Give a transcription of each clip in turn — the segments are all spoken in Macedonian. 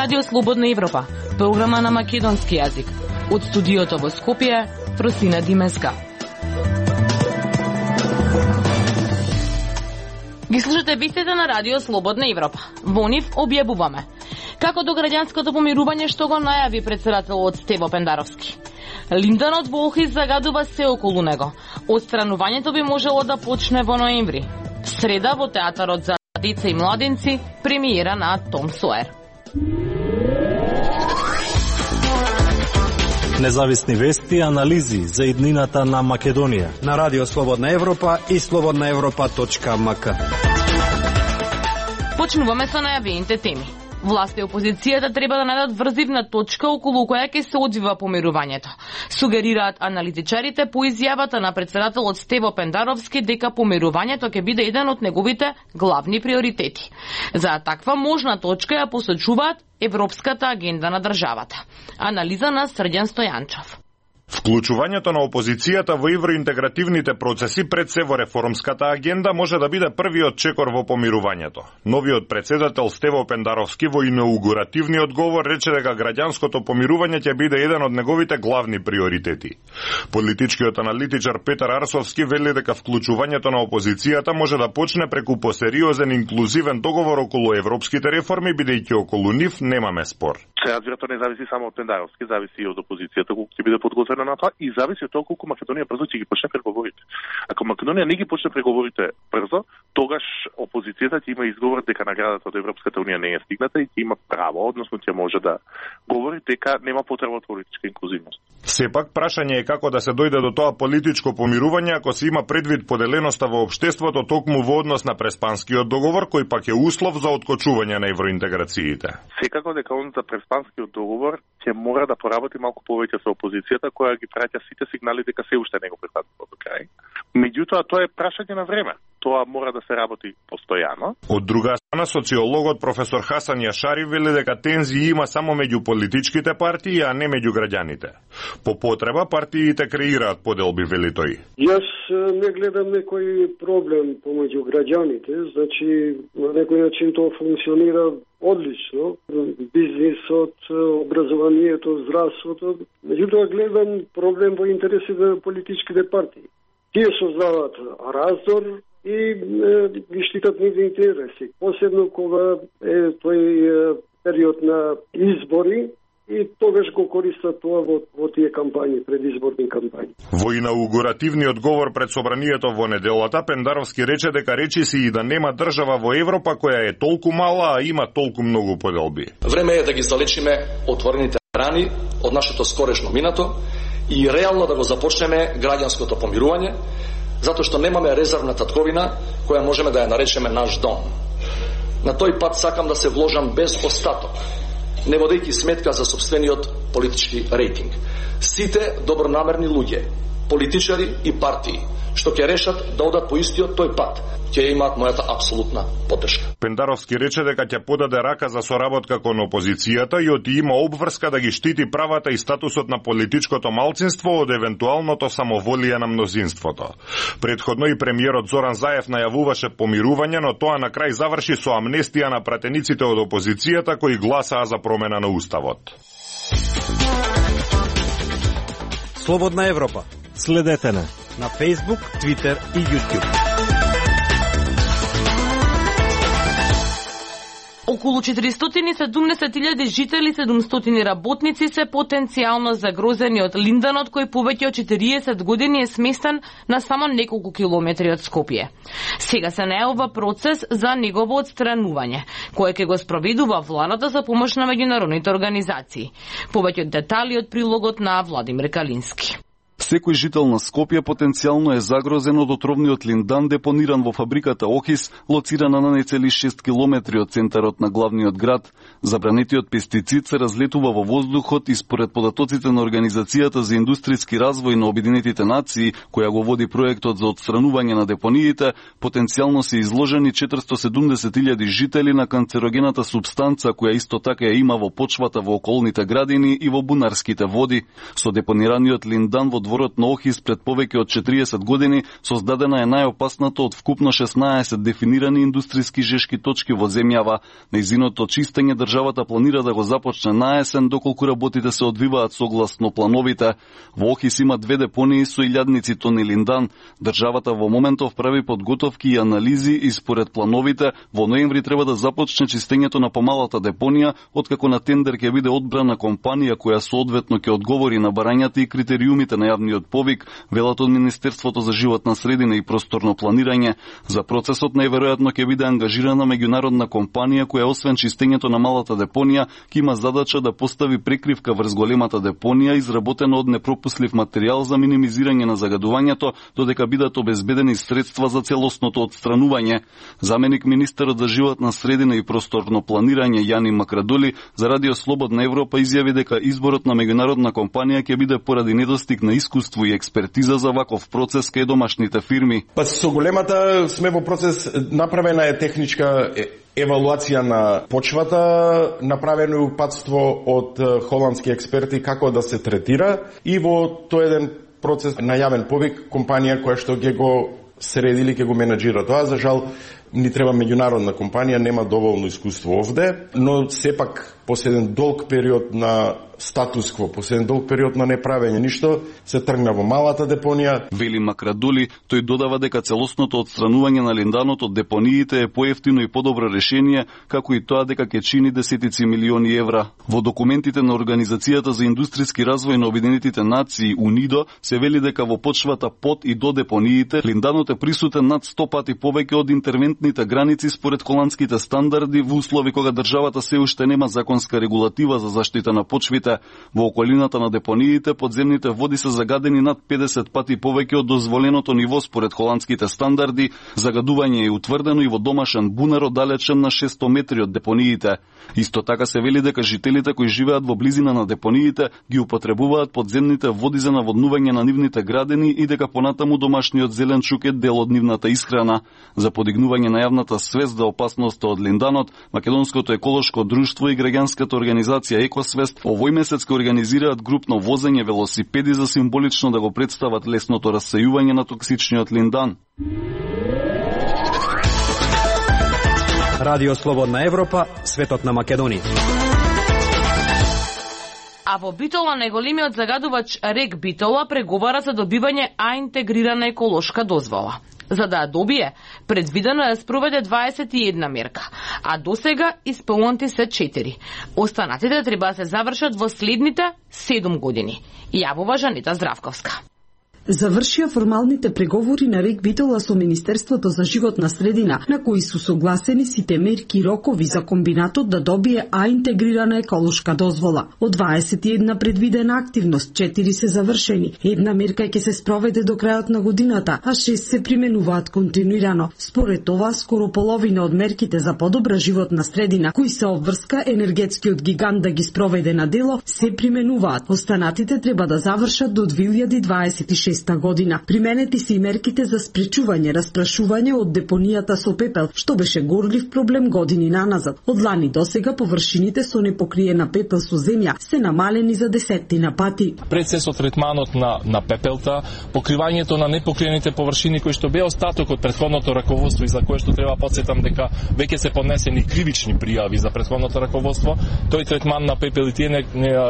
Радио Слободна Европа, програма на македонски јазик. Од студиото во Скопје, Просина Димеска. Ги слушате вестите на Радио Слободна Европа. Во нив објавуваме како до граѓанското помирување што го најави председателот Стево Пендаровски. Линданот во Охрид загадува се околу него. Отстранувањето би можело да почне во ноември. Среда во театарот за деца и младенци премиера на Том Соер. Независни вести и анализи за иднината на Македонија на Радио Слободна Европа и slobodnaevropa.mk. Почнуваме со најавените теми. Власт и опозицијата треба да најдат врзивна точка околу која ќе се одвива помирувањето. Сугерираат аналитичарите по изјавата на председателот Стево Пендаровски дека помирувањето ќе биде еден од неговите главни приоритети. За таква можна точка ја посочуваат Европската агенда на државата. Анализа на Срđan Стојанчов. Вклучувањето на опозицијата во евроинтегративните процеси пред се во реформската агенда може да биде првиот чекор во помирувањето. Новиот председател Стево Пендаровски во инаугуративниот говор рече дека граѓанското помирување ќе биде еден од неговите главни приоритети. Политичкиот аналитичар Петар Арсовски вели дека вклучувањето на опозицијата може да почне преку посериозен инклузивен договор околу европските реформи, бидејќи околу нив немаме спор. Разбира, тоа не зависи само од Пендаровски, зависи и од опозицијата, колку ќе биде подготвена на тоа, и зависи од тоа колку Македонија брзо ќе ги почне преговорите. Ако Македонија не ги почне преговорите брзо, тогаш опозицијата ќе има изговор дека наградата од Европската унија не е стигната и ќе има право, односно ќе може да говори дека нема потреба од политичка инклузивност. Сепак, прашање е како да се дојде до тоа политичко помирување ако се има предвид поделеноста во општеството токму во однос на Преспанскиот договор, кој пак е услов за откочување на евроинтеграциите. Секако дека онта Преспанскиот договор ќе мора да поработи малку повеќе со опозицијата, која ги праќа сите сигнали дека се уште не го прифатува до крај. Меѓутоа, тоа е прашање на време. Тоа мора да се работи постојано. Од друга страна, социологот професор Хасан Јашари вели дека тензии има само меѓу политичките партии, а не меѓу граѓаните. По потреба, партиите креираат поделби, вели тој. Јас не гледам некој проблем помеѓу граѓаните, значи на некој начин тоа функционира одлично. Бизнисот, образованието, здравството. Меѓутоа гледам проблем во интересите на политичките партии. Тие создаваат раздор и ги штитат нивните интереси. Посебно кога е тој период на избори и тогаш го користат тоа во тие кампањи, предизборни кампањи. Во инаугуративниот говор пред собранието во неделата, Пендаровски рече дека речиси и да нема држава во Европа која е толку мала, а има толку многу поделби. Време е да ги залечиме отворените рани од нашето скорешно минато и реално да го започнеме граѓанското помирување, затоа што немаме резервна татковина која можеме да ја наречеме наш дом. На тој пат сакам да се вложам без остаток, не водејќи сметка за сопствениот политички рейтинг. Сите добронамерни луѓе, политичари и партии, што ќе решат да одат по истиот тој пат, ќе имаат мојата апсолутна поддршка. Пендаровски рече дека ќе подаде рака за соработка кон опозицијата и оти има обврска да ги штити правата и статусот на политичкото малцинство од евентуалното самоволие на мнозинството. Предходно и премиерот Зоран Заев најавуваше помирување, но тоа на крај заврши со амнестија на пратениците од опозицијата кои гласаа за промена на уставот. Слободна Европа. Следете на Facebook, Twitter и YouTube. Околу 470.000 жители, 700 работници се потенцијално загрозени од линданот кој повеќе од 40 години е сместен на само неколку километри од Скопје. Сега се најавува процес за негово отстранување, кој ќе го спроведува владата за помош на меѓународните организации. Повеќе детали од прилогот на Владимир Калински. Секој жител на Скопје потенцијално е загрозен од отровниот линдан депониран во фабриката Охис, лоцирана на нецели 6 километри од центарот на главниот град. Забранетиот пестицид се разлетува во воздухот и според податоците на Организацијата за индустријски развој на Обединетите нации, која го води проектот за отстранување на депониите, потенцијално се изложени 470.000 жители на канцерогената супстанца која исто така ја има во почвата во околните градини и во бунарските води. Со депонираниот линдан во затворот на Охис пред повеќе од 40 години, создадена е најопасната од вкупно 16 дефинирани индустријски жешки точки во земјава. Нејзиното чистење државата планира да го започне на есен, доколку работите се одвиваат согласно плановите. Во Охис има 2 депонии со илјадници тони линдан. Државата во моментов прави подготовки и анализи и според плановите во ноември треба да започне чистењето на помалата депонија, откако на тендер ќе биде одбрана компанија која соодветно ќе одговори на барањата и критериумите на јавниот повик, велат од Министерството за животна средина и просторно планирање. За процесот најверојатно ќе биде ангажирана меѓународна компанија која освен чистењето на малата депонија ќе има задача да постави прекривка врз големата депонија изработена од непропуслив материјал за минимизирање на загадувањето, додека бидат обезбедени средства за целосното отстранување. Заменик министерот за животна средина и просторно планирање Јани Макрадоли за Радио Слободна Европа изјави дека изборот на меѓународна компанија ќе биде поради недостиг на искуство и експертиза за ваков процес кај домашните фирми. Па со големата сме во процес, направена е техничка евалуација на почвата, направено е упатство од холандски експерти како да се третира и во тој еден процес најавен повик компанија која што ќе го средили, ќе го менаџира тоа. За жал, ни треба меѓународна компанија, нема доволно искуство овде, но сепак после еден долг период на статус-кво, после еден долг период на неправење ништо, се тргна во малата депонија. Вели Макрадули, тој додава дека целосното отстранување на линданот од депониите е поевтино и подобро решение, како и тоа дека ќе чини десетици милиони евра. Во документите на Организацијата за индустријски развој на Обединетите нации УНИДО се вели дека во почвата под и до депониите линданот е присутен над 100 пати повеќе од интервентните граници според холандските стандарди во услови кога државата се уште нема законска регулатива за заштита на почвите. Во околината на депониите подземните води се загадени над 50 пати повеќе од дозволеното ниво според холандските стандарди. Загадување е утврдено и во домашен бунар оддалечен на 600 метри од депониите. Исто така се вели дека жителите кои живеат во близина на депониите ги употребуваат подземните води за наводнување на нивните градини и дека понатаму домашниот зеленчук е дел од нивната исхрана. За подигнување на јавната свест за опасноста од линданот, Македонското еколошко друштво и граѓанската организација Екосвест овој месец ќе организираат групно возење велосипеди за символично да го представат лесното рассејување на токсичниот линдан. Радио Слободна Европа, светот на Македонија. А во Битола најголемиот загадувач РЕК Битола преговара за добивање интегрирана еколошка дозвола. За да ја добие, предвидено е да спроведе 21 мерка, а досега исполнети се 4. Останатите треба да се завршат во следните 7 години. Јавува Жанета Здравковска. Завршија формалните преговори на РЕК Битола со Министерството за животна средина, на кои су согласени сите мерки и рокови за комбинатот да добие интегрирана еколошка дозвола. Од 21 предвидена активност, 4 се завршени. Една мерка ќе се спроведе до крајот на годината, а 6 се применуваат континуирано. Според това, скоро половина од мерките за подобра животна средина, кои се обврска енергетскиот гигант да ги спроведе на дело, се применуваат. Останатите треба да завршат до 2026 година. Применети се и мерките за спречување распрашување од депонијата со пепел, што беше горлив проблем години наназад. Од лани досега површините со непокриена пепел со земја се намалени за десеттина пати. Процесот третманот на пепелта, покривањето на непокриените површини кои што беа остаток од претходното раководство и за кое што треба подсетам дека веќе се поднесени кривични пријави за претходното раководство, тој третман на пепел и тие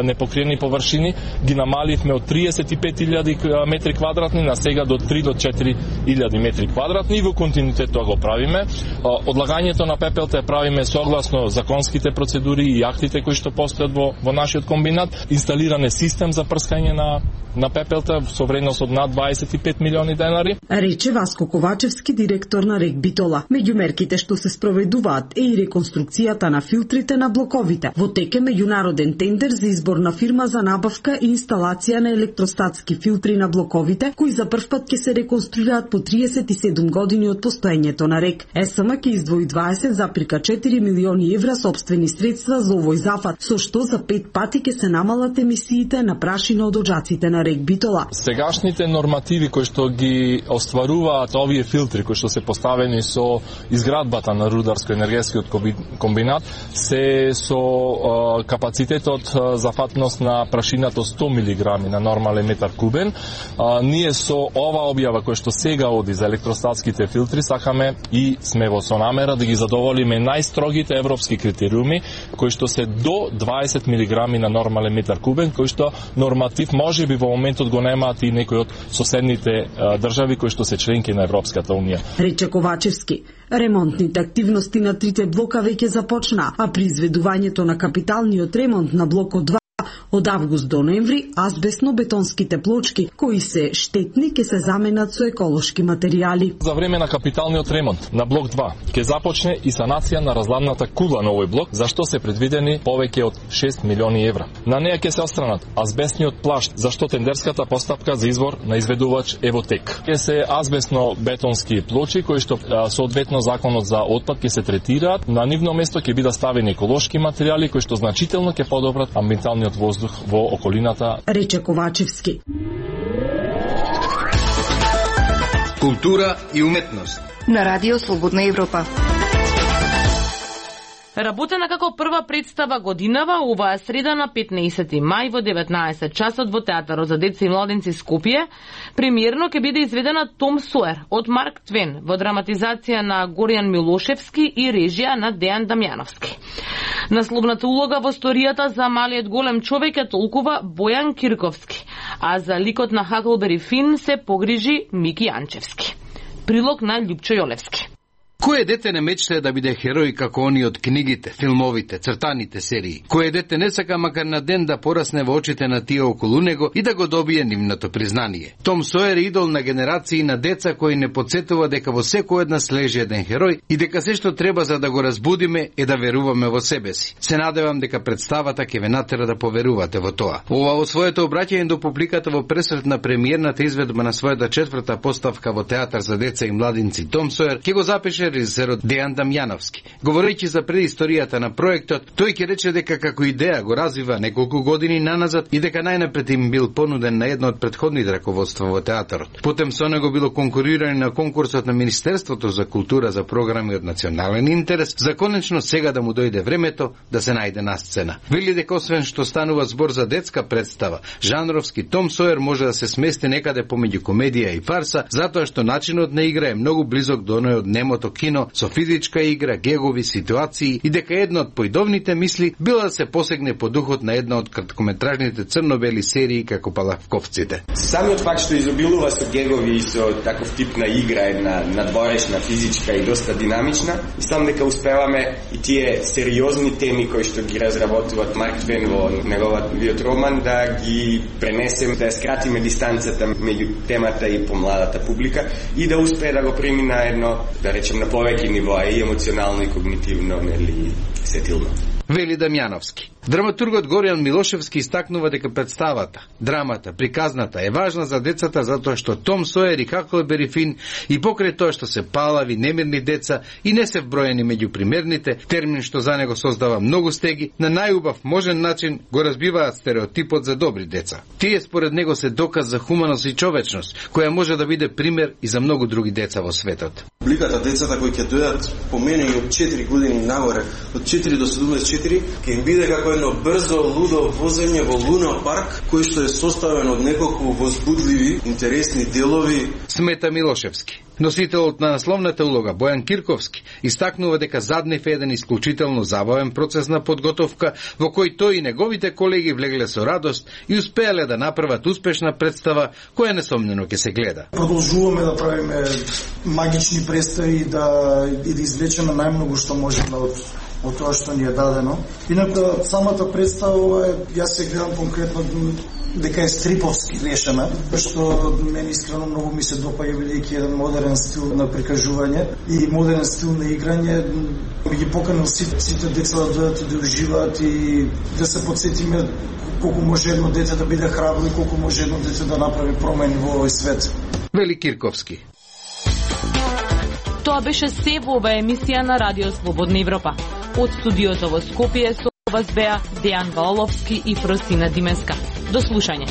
непокриени површини ги намаливме од 35.000 метри квадратни на сега до 3 до 4.000 метри квадратни и во континуитет тоа го правиме. Одлагањето на пепелта правиме согласно законските процедури и актите кои што постојат во нашиот комбинат. Инсталиран е систем за прскање на пепелта со вредност од над 25 милиони денари. Рече Васко Ковачевски, директор на РЕК Битола. Меѓу мерките што се спроведуваат е и реконструкцијата на филтрите на блоковите. Во тек е меѓународен тендер за избор на фирма за набавка и инсталација на електростатски филтри на блоковите бреговите, кои за прв пат ќе се реконструираат по 37 години од постоењето на РЕК. СМ ќе издвои 20,4 милиони евра сопствени средства за овој зафат, со што за 5 пати ќе се намалат емисиите на прашина од оджаците на РЕК Битола. Сегашните нормативи кои што ги остваруваат овие филтри кои што се поставени со изградбата на рударско-енергетскиот комбинат се со капацитетот за фатност на прашината 100 мг на нормален метар кубен. Ние со ова објава која што сега оди за електростатските филтри сакаме и сме во со намера да ги задоволиме најстрогите европски критериуми кои што се до 20 мг на нормален метар кубен, кои што норматив можеби во моментот го немаат и некои од соседните држави кои што се членки на Европската унија. Рече Ковачевски. Ремонтните активности на трите блока веќе започна, а при изведувањето на капиталниот ремонт на блокот 2 од август до ноември, азбестно-бетонските плочки, кои се штетни, ќе се заменат со еколошки материјали. За време на капиталниот ремонт на блок 2 ќе започне и санација на разладната кула на овој блок, за што се предвидени повеќе од 6 милиони евра. На неја ќе се отстранат азбестниот плашт, за што тендерската постапка за избор на изведувач е во тек. Ќе се азбестно-бетонски плочи кои што соодветно законот за отпад ќе се третираат, на нивно место ќе бидат ставени еколошки материјали кои што значително ќе подобрат амбиенталниот воздух во околината. Рече Ковачевски. Култура и уметност на Радио Слободна Европа. Работена како прва представа годинава оваа среда на 15 мај во 19 часот во Театарот за деца и младенци Скопје, премиерно ќе биде изведена Том Соер од Марк Твен во драматизација на Горјан Милошевски и режија на Дејан Дамјановски. Насловната улога во историјата за малиот голем човек е толкува Бојан Кирковски, а за ликот на Хаклбери Фин се погрижи Мики Јанчевски. Прилог на Љупчо Јолевски. Кој дете не мечтае да биде херој како они од книгите, филмовите, цртаните серии? Кој дете не сака макар на ден да порасне во очите на тие околу него и да го добие нивното признание? Том Соер е идол на генерации на деца кои не подсетува дека во секој една слежи еден херој и дека се што треба за да го разбудиме е да веруваме во себе си. Се надевам дека представата ќе ве натера да поверувате во тоа. Ова во своето обраќање до публиката во пресрет на премиерната изведба на својата четврта поставка во Театар за деца и младинци Том Соер ќе го запише режисерот Дејан Дамјановски. Говорејќи за предисторијата на проектот, тој ќе рече дека како идеја го развива неколку години наназад и дека најнапред им бил понуден на едно од претходните раководства во театарот. Потем со него било конкурирање на конкурсот на Министерството за култура за програми од национален интерес, за конечно сега да му дојде времето да се најде на сцена. Вели дека освен што станува збор за детска представа, жанровски Том Соер може да се смести некаде помеѓу комедија и фарса, затоа што начинот на игра е многу близок до оној од немото кино, со физичка игра, гегови, ситуации и дека една од поидовните мисли била да се посегне по духот на една од краткометражните црно-бели серии како Палавковците. Самиот факт што изобилува со гегови и со таков тип на игра, една надворешна, физичка и доста динамична, мислам дека успеваме и тие сериозни теми кои што ги разработуваат Марк Твен во неговиот роман да ги пренесем, да скратиме дистанцата меѓу темата и помладата публика и да успее да го премина едно, да речем, на повеќе нивоа и емоционално и когнитивно, нели, сетилно. Вели Дамјановски. Драматургот Горјан Милошевски истакнува дека представата, драмата, приказната е важна за децата затоа што Том Соер и Хаклбери Фин и покрај тоа што се палави, немирни деца и не се вброени меѓу примерните, термин што за него создава многу стеги, на најубав можен начин го разбиваат стереотипот за добри деца. Тие според него се доказ за хуманост и човечност, која може да биде пример и за многу други деца во светот. Публиката децата кои ќе дојдат по мене и од 4 години нагоре, од 4 до 74, ќе им биде како едно брзо, лудо возење во Луна парк, кој што е составен од неколку возбудливи, интересни делови. Смета Милошевски. Носителот на насловната улога Бојан Кирковски истакнува дека заднив еден исклучително забавен процес на подготовка во кој тој и неговите колеги влегле со радост и успеале да направат успешна представа која несомнено ќе се гледа. Продолжуваме да правиме магични представи и да извлечеме најмногу што можеме од од тоа што ни е дадено. Инаку самата представа, јас се гледам конкретно дека е стриповски решена, што мене искрено многу ми се допаѓа, бидејќи еден модерен стил на прикажување и модерен стил на играње. Би ги поканил сите деца да дојдат и да уживаат и да се потсетиме колку може едно дете да биде храбро и колку може едно дете да направи промени во овој свет. Вели Кирковски. Тоа беше се во оваа емисија на Радио Слободна Европа. Од студиото во Скопје со вас беа Дејан Валовски и Фросина Димеска. До слушање.